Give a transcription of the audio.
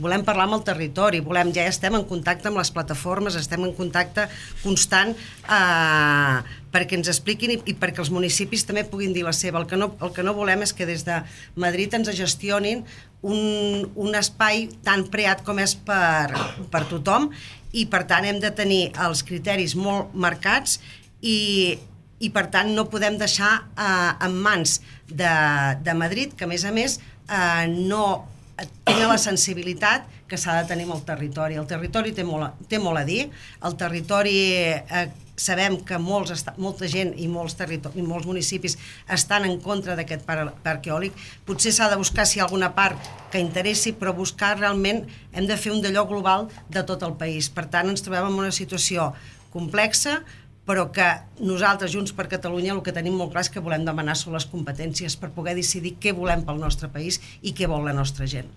Volem parlar amb el territori, ja estem en contacte amb les plataformes, estem en contacte constant perquè ens expliquin i perquè els municipis també puguin dir la seva. El que no volem és que des de Madrid ens gestionin un espai tan preat com és per tothom, i per tant hem de tenir els criteris molt marcats i per tant no podem deixar en mans de Madrid, que a més no tenen la sensibilitat que s'ha de tenir amb el territori. El territori té molt a dir. El territori, sabem que molta gent i molts municipis estan en contra d'aquest parc eòlic. Potser s'ha de buscar si hi ha alguna part que interessi, però buscar realment hem de fer un d'allò global de tot el país. Per tant, ens trobem en una situació complexa, però que nosaltres, Junts per Catalunya, el que tenim molt clar és que volem demanar sobre les competències per poder decidir què volem pel nostre país i què vol la nostra gent.